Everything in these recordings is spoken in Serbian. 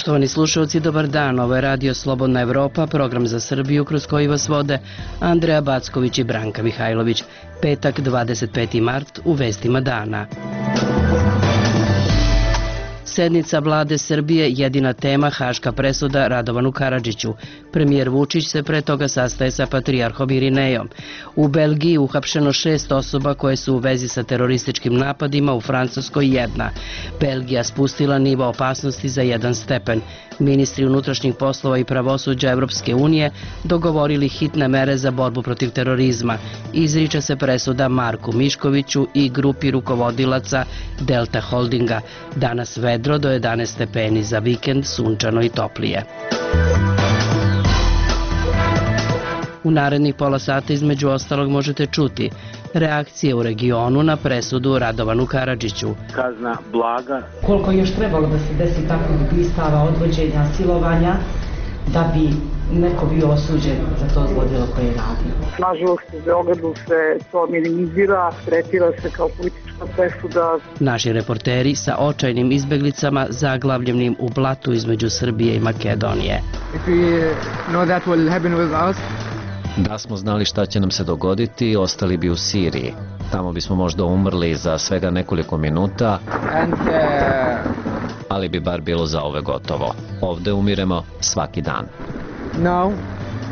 Poštovani slušalci, dobar dan. Ovo je Radio Slobodna Evropa, program za Srbiju kroz koji vas vode Andreja Backović i Branka Mihajlović. Petak, 25. mart, u vestima dana. Sednica vlade Srbije, jedina tema haška presuda Radovanu Karadžiću. Premijer Vučić se pre toga sastaje sa patrijarhom Irinejom. U Belgiji uhapšeno 6 osoba koje su u vezi sa terorističkim napadima, u Francuskoj 1. Belgija spustila nivo opasnosti za 1 stepen. Ministri unutrašnjih poslova i pravosuđa Evropske unije dogovorili hitne mere za borbu protiv terorizma. Izriče se presuda Marku Miškoviću i grupi rukovodilaca Delta Holdinga. Danas vedro do 11 stepeni, za vikend sunčano i toplije. U narednih pola sata između ostalog možete čuti reakcije u regionu na presudu Radovanu Karadžiću. Kazna blaga. Koliko još trebalo da se desi takvih ubistava, odvođenja, silovanja, da bi neko bio osuđen za to zlodjelo koje je radio. Nažalost, u Beogradu se to minimizira, tretira se kao politička presuda. Naši reporteri sa očajnim izbeglicama zaglavljenim u blatu između Srbije i Makedonije. Da smo znali šta će nam se dogoditi, ostali bi u Siriji. Tamo bismo možda umrli za svega nekoliko minuta, ali bi bar bilo za ove gotovo. Ovde umiremo svaki dan. Now,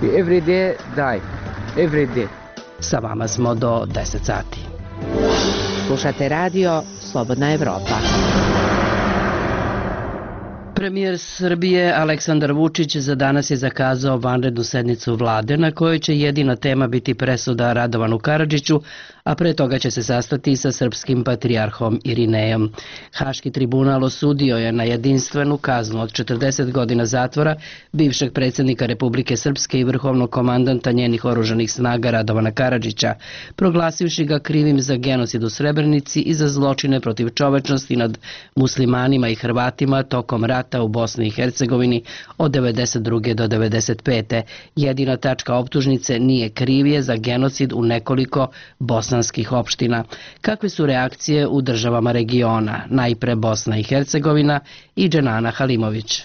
every day die. Every day. Sa vama smo do 10 sati. Slušate radio Slobodna Evropa. Premijer Srbije Aleksandar Vučić za danas je zakazao vanrednu sednicu vlade na kojoj će jedina tema biti presuda Radovanu Karadžiću, a pre toga će se sastati sa srpskim patrijarhom Irinejom. Haški tribunal osudio je na jedinstvenu kaznu od 40 godina zatvora bivšeg predsjednika Republike Srpske i vrhovnog komandanta njenih oružanih snaga Radovana Karadžića, proglasivši ga krivim za genocid u Srebrenici i za zločine protiv čovečnosti nad muslimanima i Hrvatima tokom rata u Bosni i Hercegovini od 1992. do 1995. Jedina tačka optužnice nije krivije za genocid u nekoliko bosanskih opština. Kakve su reakcije u državama regiona? Najpre Bosna i Hercegovina i Dženana Halimović.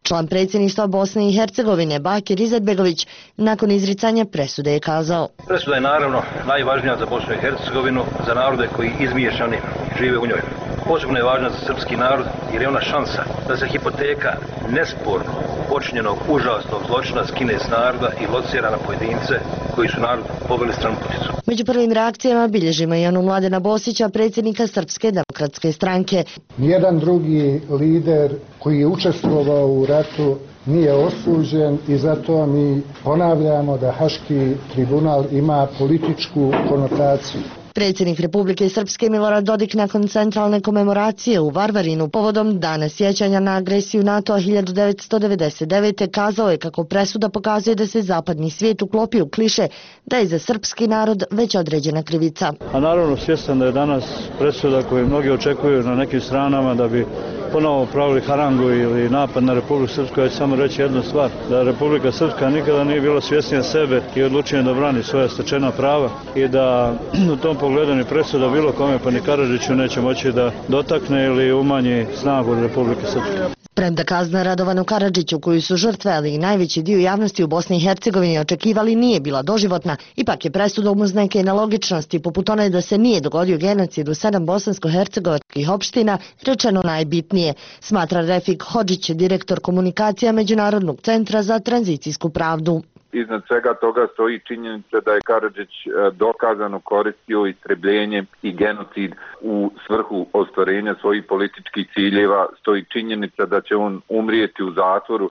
Član predsjedništva Bosne i Hercegovine Bakir Izetbegović nakon izricanja presude je kazao: Presuda je naravno najvažnija za Bosnu i Hercegovinu, za narode koji izmiješani žive u njoj. Posebno je važna za srpski narod jer je ona šansa da se hipoteka nesporno počinjenog užasnog zločina skine s naroda i locira na pojedince koji su narod poveli stranputicu. Među prvim reakcijama bilježimo i onu Mladena Bosića, predsjednika Srpske demokratske stranke. Nijedan drugi lider koji je učestvovao u ratu nije osuđen i zato mi ponavljamo da Haški tribunal ima političku konotaciju. Predsjednik Republike Srpske Milorad Dodik nakon centralne komemoracije u Varvarinu povodom Dana sjećanja na agresiju NATO-a 1999. kazao je kako presuda pokazuje da se zapadni svijet uklopi u kliše da je za srpski narod već određena krivica. A naravno svjestan da je danas presuda koju mnogi očekuju na nekim stranama da bi ponovo pravili harangu ili napad na Republiku Srpsku, ja ću samo reći jednu stvar, da Republika Srpska nikada nije bila svjesnija sebe i odlučena da brani svoja stečena prava i da u tom pogledu ni presuda bilo kome pa ni Karadžiću neće moći da dotakne ili umanji snagu Republike Srpske. Premda kazna Radovanu Karadžiću, koju su žrtve, ali i najveći dio javnosti u Bosni i Hercegovini očekivali, nije bila doživotna, ipak je presudom uz neke nelogičnosti, poput one da se nije dogodio genocid u 7 bosansko-hercegovačkih opština, rečeno najbitnije, smatra Refik Hodžić, direktor komunikacija Međunarodnog centra za tranzicijsku pravdu. Iznad svega toga stoji činjenica da je Karadžić dokazano koristio istrebljenje i genocid u svrhu ostvarenja svojih političkih ciljeva, stoji činjenica da će on umrijeti u zatvoru.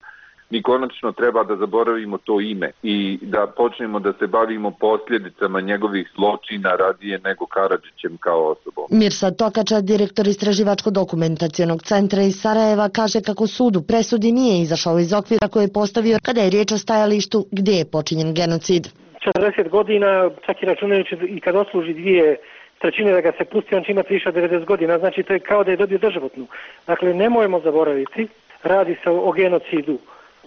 Mi konačno treba da zaboravimo to ime i da počnemo da se bavimo posljedicama njegovih zločina radije nego Karadžićem kao osobom. Mirsad Tokača, direktor Istraživačko-dokumentacionog centra iz Sarajeva, kaže kako sud u presudi nije izašao iz okvira koje je postavio kada je riječ o stajalištu gdje je počinjen genocid. 40 godina, čak i računajući i kad odsluži 2/3 da ga se pusti, on će imati više od 90 godina, znači to je kao da je dobio doživotnu. Dakle, nemojmo zaboraviti, radi se o genocidu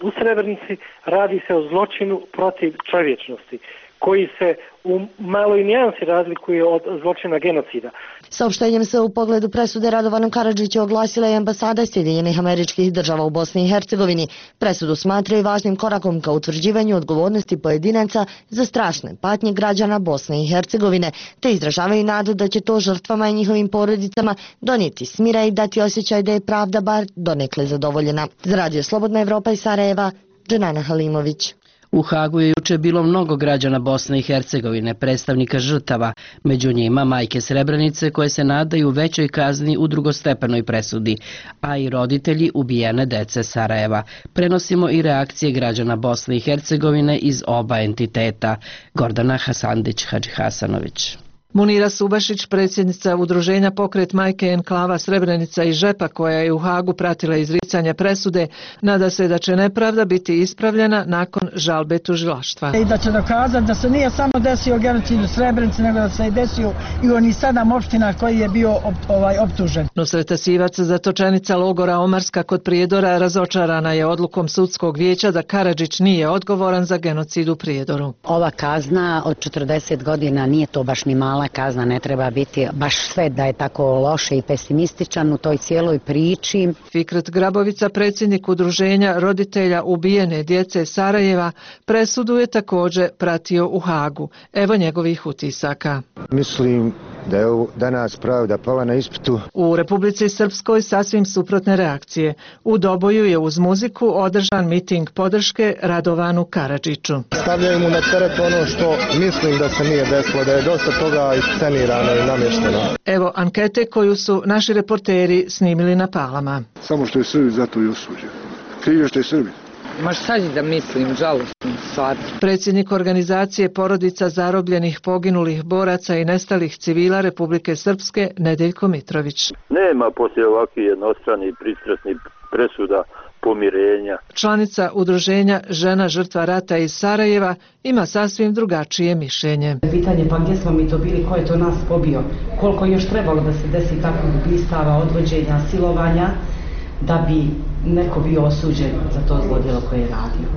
u Srebrenici, radi se o zločinu protiv čovječnosti. koji se u maloj nijansi razlikuje od zločina genocida. Saopštenjem se u pogledu presude Radovanu Karadžiću oglasila je ambasada Sjedinjenih Američkih Država u Bosni i Hercegovini. Presudu smatraju važnim korakom ka utvrđivanju odgovornosti pojedinaca za strašne patnje građana Bosne i Hercegovine, te izražavaju nadu da će to žrtvama i njihovim porodicama donijeti smira i dati osjećaj da je pravda bar donekle zadovoljena. Za Radio Slobodna Evropa iz Sarajeva, Dženana Halimović. U Hagu je juče bilo mnogo građana Bosne i Hercegovine, predstavnika žrtava, među njima majke Srebrenice koje se nadaju većoj kazni u drugostepenoj presudi, a i roditelji ubijene dece Sarajeva. Prenosimo i reakcije građana Bosne i Hercegovine iz oba entiteta. Gordana Hasandić-Hadžihasanović. Munira Subašić, predsjednica udruženja Pokret majke enklava Srebrenica i Žepa, koja je u Hagu pratila izricanje presude, nada se da će nepravda biti ispravljena nakon žalbe tužilaštva. I da će dokazati da se nije samo desio genocid u Srebrenici, nego da se je desio i u onih 7 opština koji je bio optužen. Nusret Asivac, zatočenica logora Omarska kod Prijedora, razočarana je odlukom sudskog vijeća da Karadžić nije odgovoran za genocid u Prijedoru. Ova kazna od 40 godina nije to baš ni mala kazna, ne treba biti baš sve da je tako loše i pesimističan u toj cijeloj priči. Fikret Grabovica, predsjednik udruženja roditelja ubijene djece Sarajeva, presudu je također pratio u Hagu. Evo njegovih utisaka. Mislim da je danas pravda pala na ispitu. U Republici Srpskoj sasvim suprotne reakcije. U Doboju je uz muziku održan miting podrške Radovanu Karadžiću. Stavljaju mu na teret ono što mislim da se nije desilo, da je dosta toga iscenirano i namješteno. Evo ankete koju su naši reporteri snimili na Palama. Samo što je Srbi, zato i osuđen. Krivo što je Srbi. Ma šta da mislim, žalostno stvar. Predsjednik organizacije porodica zarobljenih, poginulih boraca i nestalih civila Republike Srpske, Nedeljko Mitrović. Nema poslije ovakvih jednostranih pristrasnih presuda pomirenja. Članica udruženja Žena žrtva rata iz Sarajeva ima sasvim drugačije mišljenje. Pitanje pa gdje smo mi to bili, ko je to nas pobio, koliko je još trebalo da se desi takvog ubistava, odvođenja, silovanja, da bi neko bio osuđen za to zlodjelo koje je radio.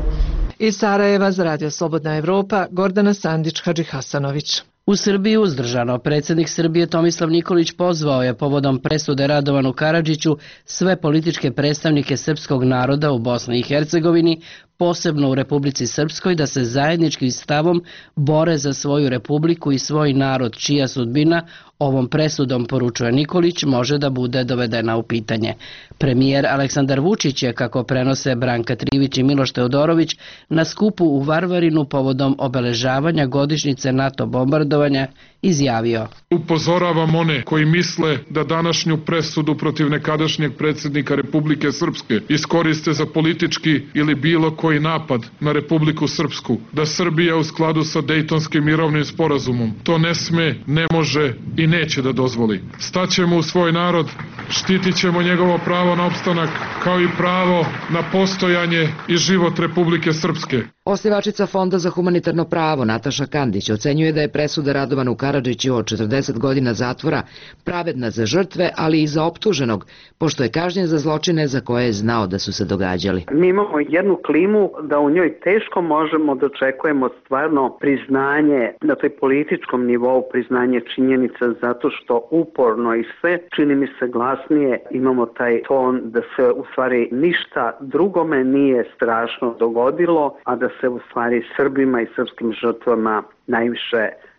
Iz Sarajeva za Radio Slobodna Evropa, Gordana Sandić-Hadžihasanović. U Srbiji uzdržano. Predsjednik Srbije Tomislav Nikolić pozvao je povodom presude Radovanu Karadžiću sve političke predstavnike srpskog naroda u Bosni i Hercegovini, posebno u Republici Srpskoj, da se zajedničkim stavom bore za svoju republiku i svoj narod, čija sudbina ovom presudom, poručuje Nikolić, može da bude dovedena u pitanje. Premijer Aleksandar Vučić je, kako prenose Branka Trivić i Miloš Teodorović, na skupu u Varvarinu povodom obeležavanja godišnjice NATO bombardovanja izjavio: Upozoravam one koji misle da današnju presudu protiv nekadašnjeg predsjednika Republike Srpske iskoriste za politički ili bilo koji napad na Republiku Srpsku, da Srbija u skladu sa Dejtonskim mirovnim sporazumom to ne sme, ne može i neće da dozvoli. Staćemo u svoj narod, štitit ćemo njegovo pravo na opstanak, kao i pravo na postojanje i život Republike Srpske. Osnivačica Fonda za humanitarno pravo Nataša Kandić ocenjuje da je presuda Radovanu Karadžiću od 40 godina zatvora pravedna za žrtve, ali i za optuženog, pošto je kažnjen za zločine za koje je znao da su se događali. Mi imamo jednu klimu da u njoj teško možemo da očekujemo stvarno priznanje na toj političkom nivou, priznanje činjenica, zato što uporno i sve, čini mi se glasnije, imamo taj ton da se u stvari ništa drugome nije strašno dogodilo, a da se u stvari Srbima i srpskim žrtvama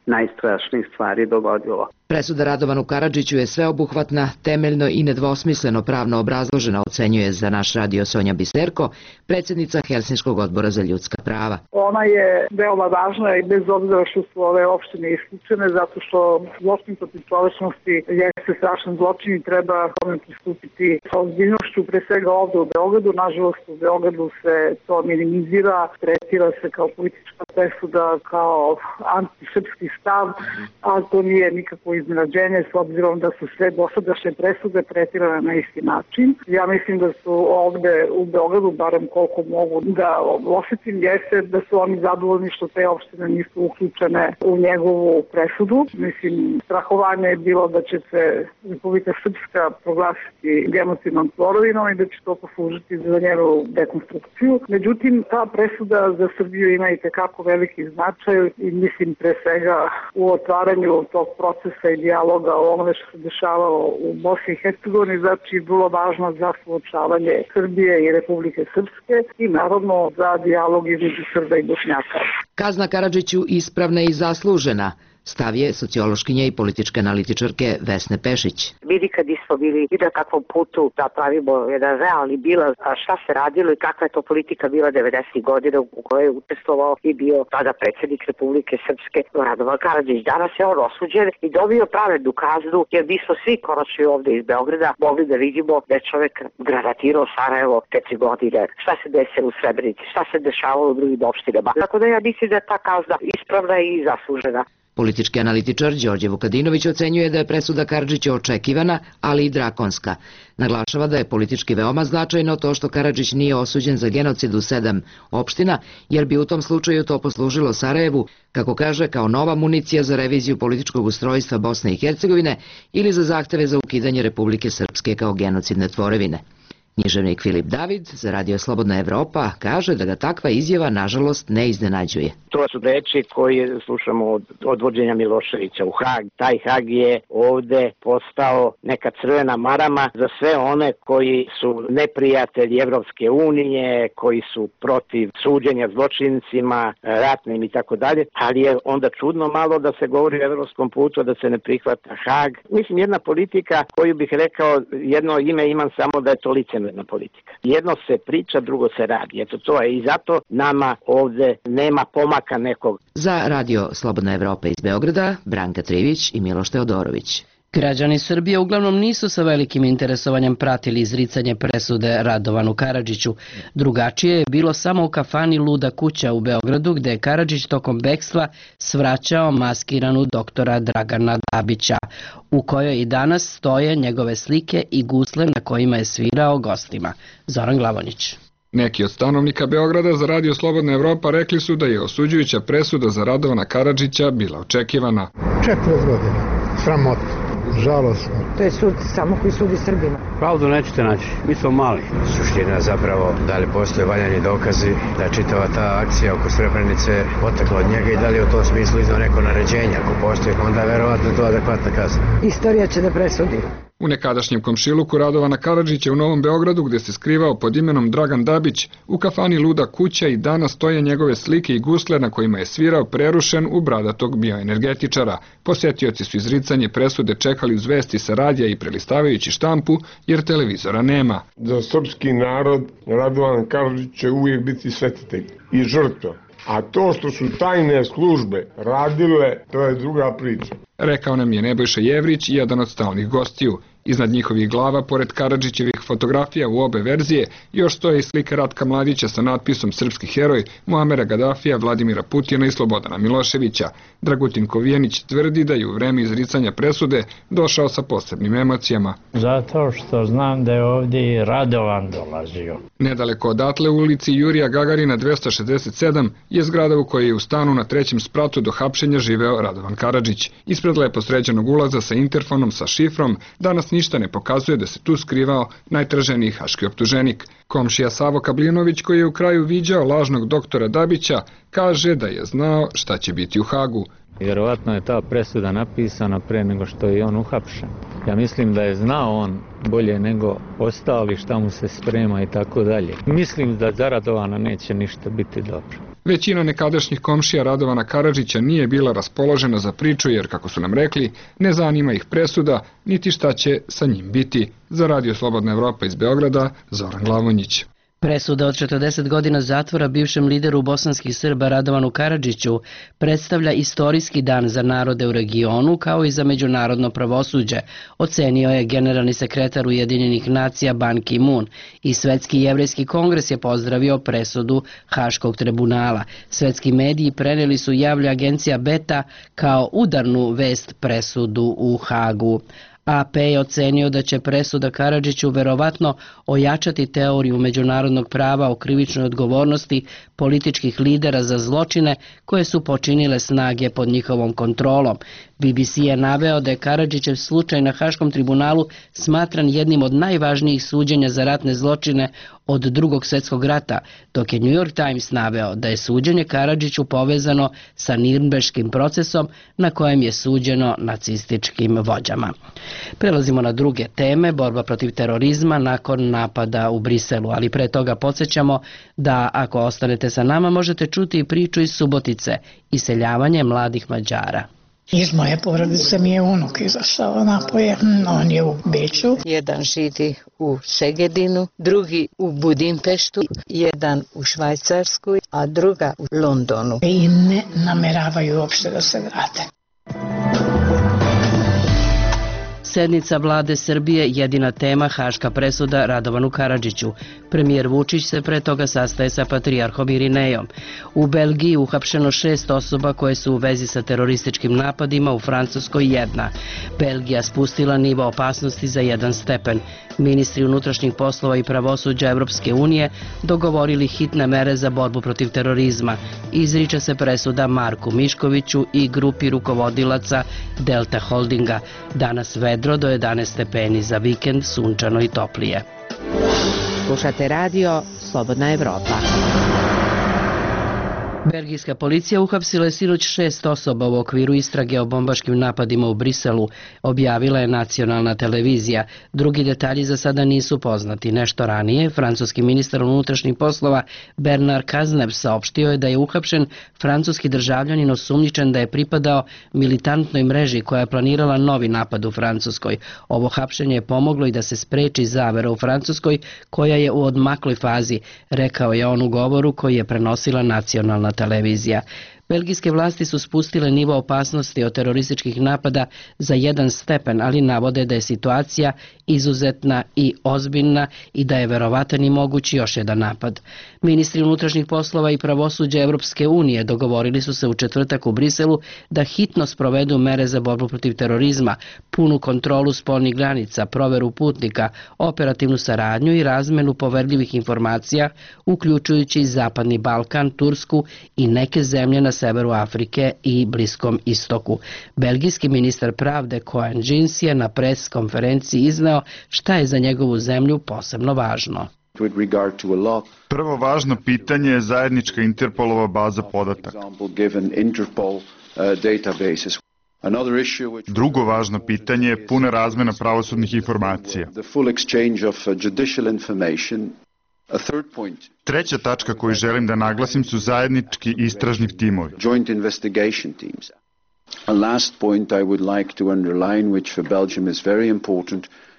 najstrašnijih stvari dogodilo. Presuda Radovanu Karadžiću je sveobuhvatna, temeljno i nedvosmisleno pravno obrazložena, ocenjuje za naš radio Sonja Biserko, predsjednica Helsinškog odbora za ljudska prava. Ona je veoma važna i bez obzira što su ove opštine isključene, zato što zločin protiv čovečnosti jeste strašan zločin i treba tome pristupiti sa ozbiljnošću, pre svega ovde u Beogradu. Nažalost, u Beogradu se to minimizira, tretira se kao politička presuda, kao antisrpski stav, a to nije nikako iznenađenje s obzirom da su sve dosadašnje presude tretirane na isti način. Ja mislim da su ovde u Beogradu, barem koliko mogu da osjetim, jeste da su oni zadovoljni što te opštine nisu uključene u njegovu presudu. Mislim, strahovanje je bilo da će se Republika Srpska proglasiti genocidnom tvorevinom i da će to poslužiti za njenu dekonstrukciju. Međutim, ta presuda za Srbiju ima i tekako veliki značaj i mislim pre svega u otvaranju tog procesa i dijaloga o onome što se dešavalo u Bosni i Hercegovini, znači vrlo važno za suočavanje Srbije i Republike Srpske i naravno za dijalog između Srba i Bošnjaka. Kazna Karadžiću ispravna i zaslužena, stav je sociološkinja i političke analitičarke Vesne Pešić. Vidi kad smo bili i na kakvom putu da pravimo jedan realni bilans, a šta se radilo i kakva je to politika bila 90. godina u kojoj je učestvovao i bio tada predsjednik Republike Srpske Radovan Karadžić. Danas je on osuđen i dobio pravednu kaznu jer mi smo svi konačno ovde iz Beograda mogli da vidimo da je čovjek granatirao Sarajevo 4 godine. Šta se desilo u Srebrenici, šta se dešavalo u drugim opštinama. Tako da ja mislim da je ta kazna ispravna i zaslužena. Politički analitičar Đorđe Vukadinović ocenjuje da je presuda Karadžića očekivana, ali i drakonska. Naglašava da je politički veoma značajno to što Karadžić nije osuđen za genocid u 7 opština, jer bi u tom slučaju to poslužilo Sarajevu, kako kaže, kao nova municija za reviziju političkog ustrojstva Bosne i Hercegovine ili za zahteve za ukidanje Republike Srpske kao genocidne tvorevine. Književnik Filip David za Radio Slobodna Evropa kaže da ga takva izjava nažalost ne iznenađuje. To su reči koje slušamo od odvođenja Miloševića u Hag. Taj Hag je ovde postao neka crvena marama za sve one koji su neprijatelji Evropske unije, koji su protiv suđenja zločincima, ratnim i tako dalje, ali je onda čudno malo da se govori o evropskom putu, da se ne prihvata Hag. Mislim, jedna politika koju bih rekao, jedno ime imam samo da je to licemerna politika. Jedno se priča, drugo se radi. Eto to je i zato nama ovde nema pomaka nekog. Za Radio Slobodna Evropa iz Beograda, Branka Trivić i Miloš Teodorović. Građani Srbije uglavnom nisu sa velikim interesovanjem pratili izricanje presude Radovanu Karadžiću. Drugačije je bilo samo u kafani Luda kuća u Beogradu, gde je Karadžić tokom bekstva svraćao maskiranu doktora Dragana Dabića, u kojoj i danas stoje njegove slike i gusle na kojima je svirao gostima. Zoran Glavonić. Neki od stanovnika Beograda za Radio Slobodna Evropa rekli su da je osuđujuća presuda za Radovana Karadžića bila očekivana. 40 godina. Sramotno. Žalosno. To je sud samo koji sudi Srbima. Pravdu nećete naći, mi smo mali. Suština zapravo da li postoje valjani dokazi da je čitava ta akcija oko Srebrenice potekla od njega i da li je u tom smislu iznao neko naređenje. Ako postoji, onda je verovatno to adekvatna kazna. Istorija će da presudi. U nekadašnjem komšiluku Radovana Karadžića u Novom Beogradu, gde se skrivao pod imenom Dragan Dabić, u kafani Luda kuća i danas stoje njegove slike i gusle na kojima je svirao prerušen u bradatog bioenergetičara. Posetioci su izricanje presude čekali uz vesti sa radija i prelistavajući štampu, jer televizora nema. Za srpski narod Radovan Karadžić će uvijek biti svetitelj i žrtva. A to što su tajne službe radile, to je druga priča. Rekao nam je Nebojša Jevrić, jedan od stalnih gostiju. Iznad njihovih glava, pored Karadžićevih fotografija u obe verzije, još stoje i slike Ratka Mladića sa natpisom Srpski heroj, Muamera Gadafija, Vladimira Putina i Slobodana Miloševića. Dragutin Kovijenić tvrdi da je u vreme izricanja presude došao sa posebnim emocijama. Zato što znam da je ovdje i Radovan dolazio. Nedaleko odatle u ulici Jurija Gagarina 267 je zgrada u kojoj je u stanu na 3. spratu do hapšenja živeo Radovan Karadžić. Ispred lepo sređenog ulaza sa interfonom sa šifrom danas ništa ne pokazuje da se tu skrivao najtraženiji haški optuženik. Komšija Savo Kablinović, koji je u kraju viđao lažnog doktora Dabića, kaže da je znao šta će biti u Hagu. Vjerovatno je ta presuda napisana pre nego što je on uhapšen. Ja mislim da je znao on bolje nego ostali šta mu se sprema i tako dalje. Mislim da za Radovana neće ništa biti dobro. Većina nekadašnjih komšija Radovana Karadžića nije bila raspoložena za priču jer, kako su nam rekli, ne zanima ih presuda, niti šta će sa njim biti. Za Radio Slobodna Evropa iz Beograda, Zoran Glavonjić. Presuda od 40 godina zatvora bivšem lideru bosanskih Srba Radovanu Karadžiću predstavlja istorijski dan za narode u regionu kao i za međunarodno pravosuđe, ocenio je generalni sekretar Ujedinjenih nacija Ban Ki-moon i Svetski jevrejski kongres je pozdravio presudu Haškog tribunala. Svetski mediji preneli su, javlja agencija Beta, kao udarnu vest presudu u Hagu. AP je ocenio da će presuda Karadžiću verovatno ojačati teoriju međunarodnog prava o krivičnoj odgovornosti političkih lidera za zločine koje su počinile snage pod njihovom kontrolom. BBC je naveo da je Karadžićev slučaj na Haškom tribunalu smatran jednim od najvažnijih suđenja za ratne zločine od Drugog svjetskog rata, dok je New York Times naveo da je suđenje Karadžiću povezano sa Nirnberškim procesom na kojem je suđeno nacističkim vođama. Prelazimo na druge teme, borba protiv terorizma nakon napada u Briselu, ali pre toga podsjećamo da ako ostanete sa nama možete čuti i priču iz Subotice, iseljavanje mladih Mađara. Iz moje porodice mi je unuk izašao napolje, on je u Beču. Jedan živi u Segedinu, drugi u Budimpeštu, jedan u Švajcarskoj, a druga u Londonu. I ne nameravaju uopšte da se vrate. Sednica vlade Srbije jedina tema Haška presuda Radovanu Karadžiću. Premijer Vučić se pre toga sastaje sa patrijarhom Irinejom. U Belgiji uhapšeno 6 osoba koje su u vezi sa terorističkim napadima, u Francuskoj 1. Belgija spustila nivo opasnosti za 1 stepen. Ministri unutrašnjih poslova i pravosuđa Evropske unije dogovorili hitne mere za borbu protiv terorizma. Izriče se presuda Marku Miškoviću i grupi rukovodilaca Delta Holdinga. Danas vedro do 11 stepeni, za vikend sunčano i toplije. Slušate radio Slobodna Evropa. Belgijska policija uhapsila je sinoć 6 osoba u okviru istrage o bombaškim napadima u Briselu, objavila je nacionalna televizija. Drugi detalji za sada nisu poznati. Nešto ranije, francuski ministar unutrašnjih poslova Bernard Cazeneuve saopštio je da je uhapšen francuski državljanin osumnjičen da je pripadao militantnoj mreži koja je planirala novi napad u Francuskoj. Ovo hapšenje je pomoglo i da se spreči zavera u Francuskoj koja je u odmakloj fazi, rekao je on u govoru koji je prenosila nacionalna televizija. Belgijske vlasti su spustile nivo opasnosti od terorističkih napada za 1 stepen, ali navode da je situacija izuzetna i ozbiljna i da je verovatan i moguć još jedan napad. Ministri unutrašnjih poslova i pravosuđa Evropske unije dogovorili su se u četvrtak u Briselu da hitno sprovedu mere za borbu protiv terorizma, punu kontrolu spoljnih granica, proveru putnika, operativnu saradnju i razmenu poverljivih informacija, uključujući Zapadni Balkan, Tursku i neke zemlje na severu Afrike i Bliskom istoku. Belgijski ministar pravde Cohen Jeans je na pres konferenciji izneo šta je za njegovu zemlju posebno važno. Prvo važno pitanje je zajednička Interpolova baza podataka. Drugo važno pitanje je puna razmena pravosudnih informacija. Treća tačka koju želim da naglasim su zajednički istražni timovi.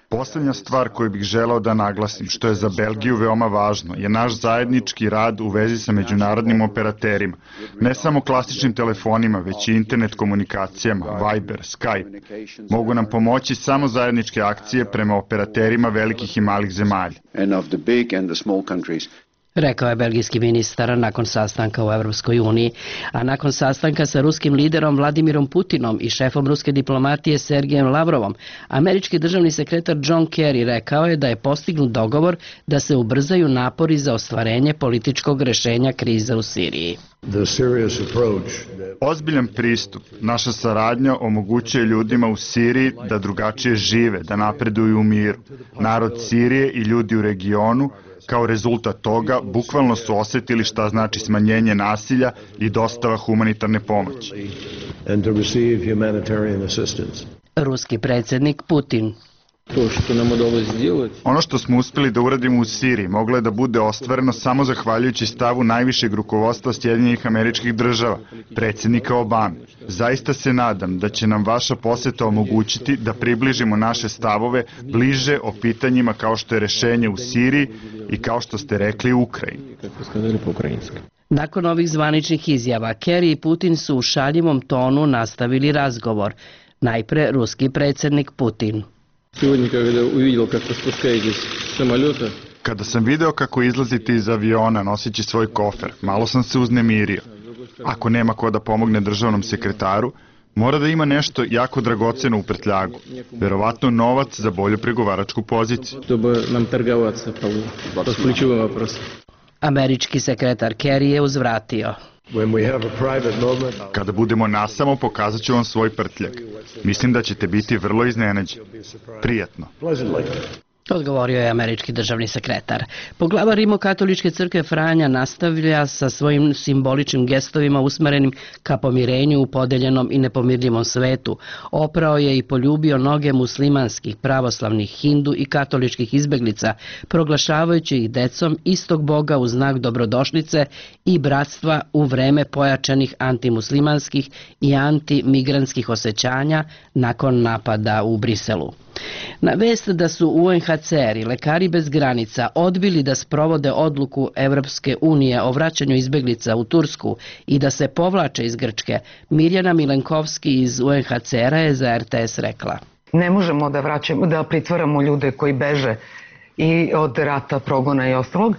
Poslednja stvar koju bih želeo da naglasim, što je za Belgiju veoma važno, je naš zajednički rad u vezi sa međunarodnim operaterima. Ne samo klasičnim telefonima, već i internet komunikacijama, Viber, Skype. Mogu nam pomoći samo zajedničke akcije prema operaterima velikih i malih zemalja. Rekao je belgijski ministar nakon sastanka u Evropskoj uniji, a nakon sastanka sa ruskim liderom Vladimirom Putinom i šefom ruske diplomatije Sergejem Lavrovom, američki državni sekretar John Kerry rekao je da je postignut dogovor da se ubrzaju napori za ostvarenje političkog rešenja krize u Siriji. Ozbiljan pristup, naša saradnja omogućuje ljudima u Siriji da drugačije žive, da napreduju u miru. Narod Sirije i ljudi u regionu kao rezultat toga bukvalno su osetili šta znači smanjenje nasilja i dostava humanitarne pomoći. Ruski predsjednik Putin. Ono što smo uspeli da uradimo u Siriji moglo je da bude ostvareno samo zahvaljujući stavu najvišeg rukovodstva Sjedinjenih Američkih Država, predsjednika Obame. Zaista se nadam da će nam vaša poseta omogućiti da približimo naše stavove bliže o pitanjima kao što je rešenje u Siriji i kao što ste rekli u Ukrajini. Nakon ovih zvaničnih izjava, Kerry i Putin su u šaljivom tonu nastavili razgovor. Najpre ruski predsjednik Putin. Kada sam video kako izlazite iz aviona noseći svoj kofer, malo sam se uznemirio. Ako nema ko da pomogne državnom sekretaru, mora da ima nešto jako dragoceno u prtljagu. Verovatno novac za bolju pregovaračku poziciju. Američki sekretar Kerry je uzvratio. Kada budemo nasamo, pokazat ću vam svoj prtljag. Mislim da ćete biti vrlo iznenađeni. Prijatno. Odgovorio je američki državni sekretar. Poglavar Rimokatoličke crkve Franja nastavlja sa svojim simboličnim gestovima usmerenim ka pomirenju u podeljenom i nepomirljivom svetu. Oprao je i poljubio noge muslimanskih, pravoslavnih, hindu i katoličkih izbeglica, proglašavajući ih decom istog Boga u znak dobrodošlice i bratstva u vreme pojačanih antimuslimanskih i antimigrantskih osjećanja nakon napada u Briselu. Na vest da su UNHCR i Lekari bez granica odbili da sprovode odluku Evropske unije o vraćanju izbeglica u Tursku i da se povlače iz Grčke, Mirjana Milenkovski iz UNHCR-a je za RTS rekla. Ne možemo da pritvaramo ljude koji beže i od rata, progona i ostalog.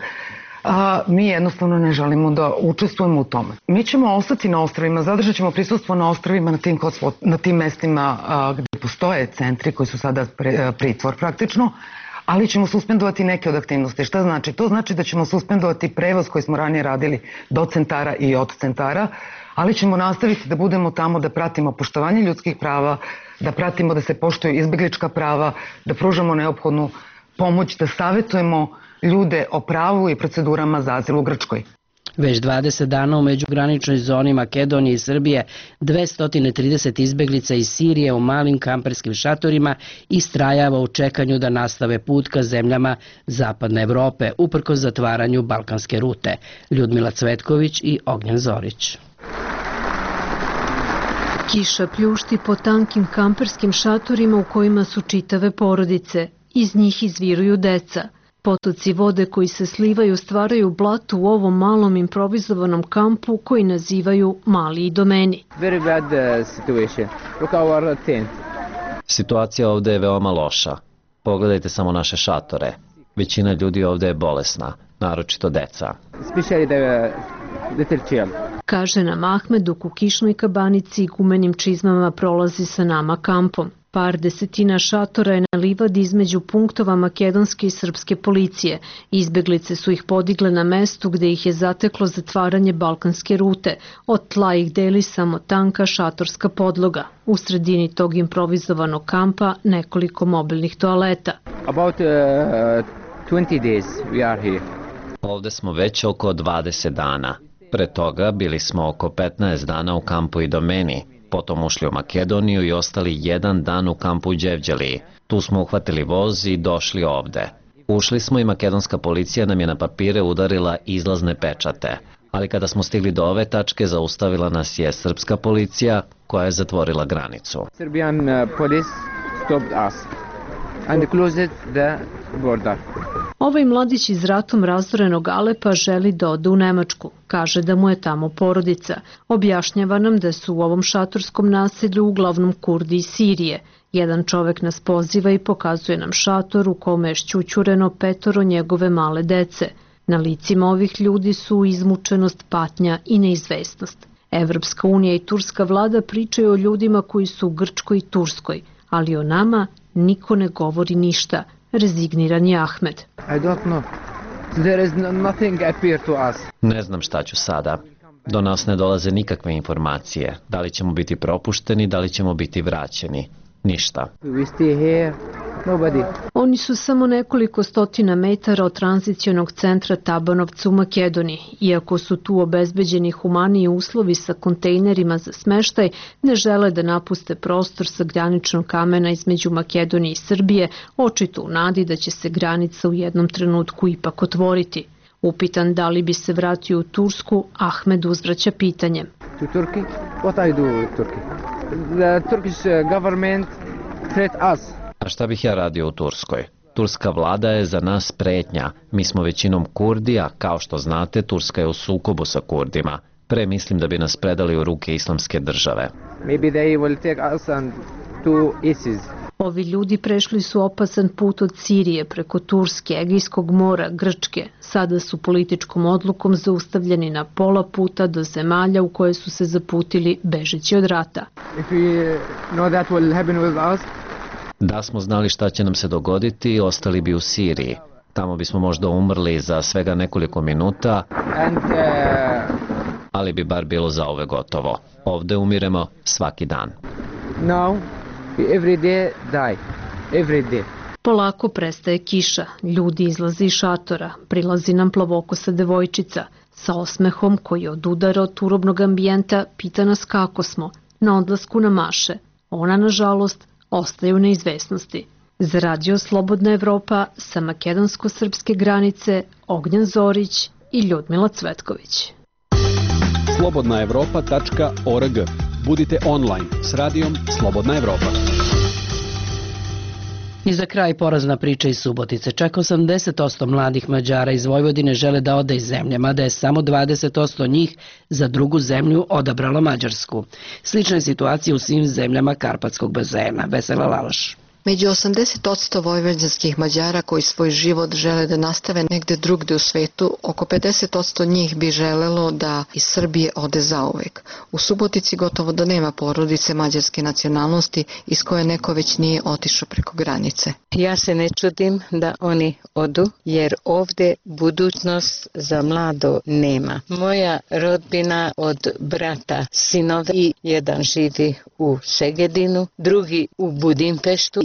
Mi jednostavno ne želimo da učestvujemo u tome. Mi ćemo ostati na ostrovima, zadržat ćemo prisustvo na ostrovima na tim mestima gde postoje centri koji su sada pritvor praktično, ali ćemo suspendovati neke od aktivnosti. Šta znači? To znači da ćemo suspendovati prevoz koji smo ranije radili do centara i od centara, ali ćemo nastaviti da budemo tamo, da pratimo poštovanje ljudskih prava, da pratimo da se poštuju izbeglička prava, da pružamo neophodnu pomoć, da savetujemo ljude o pravu i procedurama za azil u Grčkoj. Već 20 dana u međugraničnoj zoni Makedonije i Srbije 230 izbeglica iz Sirije u malim kamperskim šatorima istrajava u čekanju da nastave put ka zemljama Zapadne Evrope, uprkos zatvaranju balkanske rute. Ljudmila Cvetković i Ognjen Zorić. Kiša pljušti po tankim kamperskim šatorima u kojima su čitave porodice. Iz njih izviruju deca. Potoci vode koji se slivaju stvaraju blato u ovom malom improvizovanom kampu koji nazivaju Mali Idomeni. Situacija ovde je veoma loša. Pogledajte samo naše šatore. Većina ljudi ovde je bolesna, naročito deca. Kaže nam Ahmed dok u kišnoj kabanici i gumenim čizmama prolazi sa nama kampom. Par desetina šatora je na livadi između punktova makedonske i srpske policije. Izbeglice su ih podigle na mestu gde ih je zateklo zatvaranje balkanske rute. Od tla ih deli samo tanka šatorska podloga. U sredini tog improvizovanog kampa nekoliko mobilnih toaleta. About 20 days we are here. Ovde smo već oko 20 dana. Pre toga bili smo oko 15 dana u kampu Idomeni. Potom ušli u Makedoniju i ostali jedan dan u kampu u Đevđeliji. Tu smo uhvatili voz i došli ovde. Ušli smo i makedonska policija nam je na papire udarila izlazne pečate. Ali kada smo stigli do ove tačke, zaustavila nas je srpska policija koja je zatvorila granicu. Serbian police stopped us and closed the border. Ovaj mladić iz ratom razorenog Alepa želi da ode u Nemačku. Kaže da mu je tamo porodica. Objašnjava nam da su u ovom šatorskom naselju uglavnom Kurdi iz Sirije. Jedan čovek nas poziva i pokazuje nam šator u kome je šćućureno 5 njegove male dece. Na licima ovih ljudi su izmučenost, patnja i neizvesnost. Evropska unija i turska vlada pričaju o ljudima koji su u Grčkoj i Turskoj, ali o nama niko ne govori ništa. Rezigniran je Ahmed. Ne znam šta ću sada. Do nas ne dolaze nikakve informacije. Da li ćemo biti propušteni, da li ćemo biti vraćeni. Ništa. Nobody. Oni su samo nekoliko stotina metara od tranzicionog centra Tabanovca u Makedoniji. Iako su tu obezbeđeni humaniji uslovi sa kontejnerima za smeštaj, ne žele da napuste prostor sa graničnog kamena između Makedonije i Srbije, očito u nadi da će se granica u jednom trenutku ipak otvoriti. Upitan da li bi se vratio u Tursku, Ahmed uzvraća pitanjem. To Turkey? What I do with Turkey? The Turkish government threat us. A šta bih ja radio u Turskoj? Turska vlada je za nas pretnja. Mi smo većinom Kurdi, a kao što znate, Turska je u sukobu sa Kurdima. Pre mislim da bi nas predali u ruke islamske države. Maybe they will take us and to ISIS. Ovi ljudi prešli su opasan put od Sirije preko Turske, Egejskog mora, Grčke. Sada su političkom odlukom zaustavljeni na pola puta do zemalja u koje su se zaputili bežeći od rata. If we know that will happen with us, da smo znali šta će nam se dogoditi, ostali bi u Siriji. Tamo bismo možda umrli za svega nekoliko minuta, ali bi bar bilo za ove gotovo. Ovde umiremo svaki dan. Now, we every day die. Every day. Polako prestaje kiša, ljudi izlaze iz šatora, prilazi nam plavokosa devojčica. Sa osmehom koji odudara od turobnog ambijenta pita nas kako smo, na odlasku na maše. Ona, nažalost, ostaje u neizvesnosti. Za radio Slobodna Evropa sa makedonsko-srpske granice Ognjan Zorić i Ljudmila Cvetković. slobodnaevropa.org. Budite online s radijom Slobodna Evropa. I za kraj porazna priča iz Subotice. Čak 80% mladih Mađara iz Vojvodine žele da ode iz zemlje, mada je samo 20% njih za drugu zemlju odabralo Mađarsku. Slična je situacija u svim zemljama Karpatskog bazena. Vesela Laloš. Među 80% vojvođanskih Mađara koji svoj život žele da nastave negde drugde u svetu, oko 50% njih bi želelo da iz Srbije ode zauvek. U Subotici gotovo da nema porodice mađarske nacionalnosti iz koje neko već nije otišao preko granice. Ja se ne čudim da oni odu, jer ovde budućnost za mlado nema. Moja rodbina od brata sinove i jedan živi u Segedinu, drugi u Budimpeštu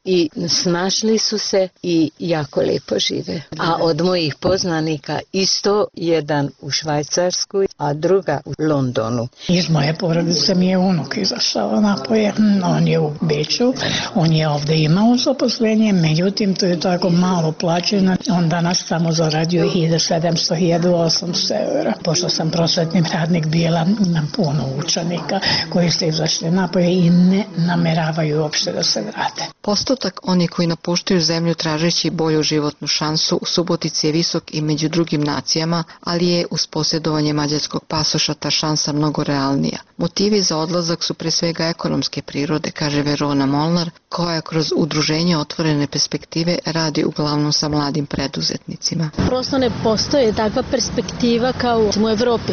i snašli su se i jako lepo žive. A od mojih poznanika isto jedan u Švajcarskoj, a druga u Londonu. Iz moje porodice mi je unuk izašao napolje, on je u Beču, on je ovde imao zaposlenje, međutim to je tako malo plaćeno, on danas samo zaradio 1700-1800 eura. Pošto sam prosvetni radnik bila, imam puno učenika koji su izašli napolje i ne nameravaju uopšte da se vrate. Postotak oni koji napuštaju zemlju tražeći bolju životnu šansu u Subotici je visok i među drugim nacijama, ali je uz posjedovanje mađarskog pasoša ta šansa mnogo realnija. Motivi za odlazak su pre svega ekonomske prirode, kaže Verona Molnar, koja kroz udruženje Otvorene perspektive radi uglavnom sa mladim preduzetnicima. Prosto ne postoje takva perspektiva kao u Evropi.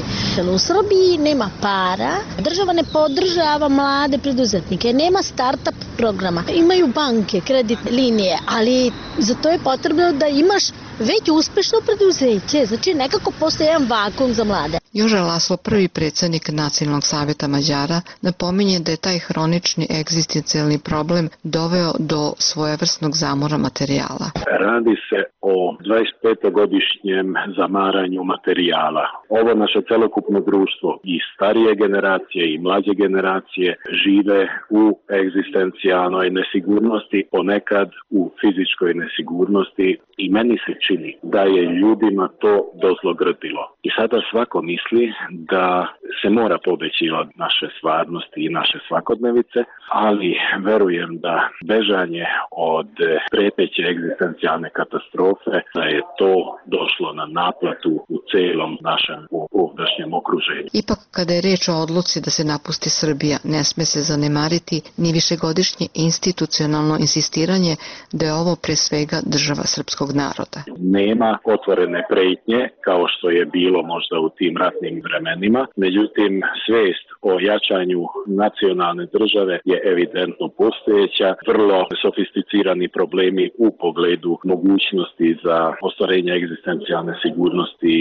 U Srbiji nema para, država ne podržava mlade preduzetnike, nema start-up programa. Imaju banke, kreditne linije, ali za to je potrebno da imaš već uspešno preduzeće, znači nekako postoji jedan vakuum za mlade. Joža Laslo, prvi predsjednik Nacionalnog savjeta Mađara, napominje da je taj hronični egzistencijalni problem doveo do svojevrsnog zamora materijala. Radi se o 25-godišnjem zamaranju materijala. Ovo naše celokupno društvo i starije generacije i mlađe generacije žive u egzistencijalnoj nesigurnosti, ponekad u fizičkoj nesigurnosti i meni se čini da je ljudima to dozlogrdilo. I sada svako misli da se mora pobeći od naše stvarnosti i naše svakodnevice, ali verujem da bežanje od preteće egzistencijalne katastrofe, da je to došlo na naplatu u celom našem ovdašnjem okruženju. Ipak, kada je reč o odluci da se napusti Srbija, ne sme se zanemariti ni višegodišnje institucionalno insistiranje da je ovo pre svega država srpskog naroda. Nema otvorene pretnje kao što je bilo možda u tim ratnim vremenima, međutim svest o jačanju nacionalne države je evidentno postojeća, vrlo sofisticirani problemi u pogledu mogućnosti za ostvarenje egzistencijalne sigurnosti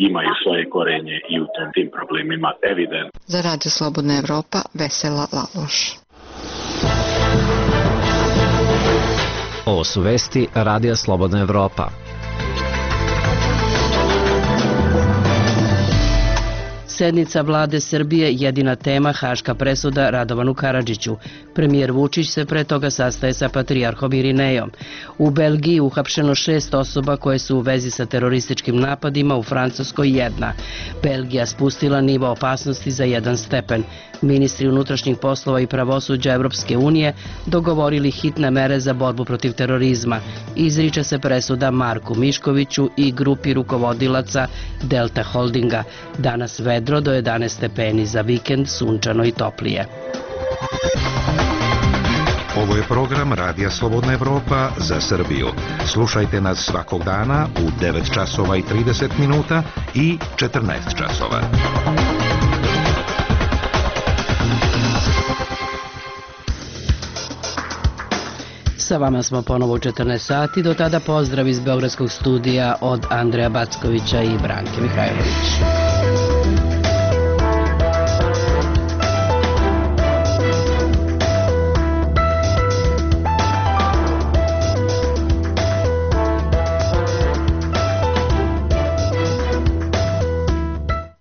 imaju svoje korenje i u tim problemima evidentno. Za Radio Slobodna Evropa, Vesela Laloš. Ovo su vesti Radija Slobodna Evropa. Sednica vlade Srbije jedina tema haška presuda Radovanu Karadžiću. Premijer Vučić se pre toga sastaje sa patrijarhom Irinejom. U Belgiji uhapšeno 6 osoba koje su u vezi sa terorističkim napadima, u Francuskoj 1. Belgija spustila nivo opasnosti za 1 stepen. Ministri unutrašnjih poslova i pravosuđa Evropske unije dogovorili hitne mere za borbu protiv terorizma. Izriče se presuda Marku Miškoviću i grupi rukovodilaca Delta Holdinga. Danas vedro do 11 stepeni, za vikend sunčano i toplije. Ovo je program Radija Slobodna Evropa za Srbiju. Slušajte nas svakog dana u 9 časova i 30 minuta i 14 časova. Sa vama smo ponovo u 14 sati. Do tada pozdrav iz Beogradskog studija od Andreja Backovića i Branke Mihajlović.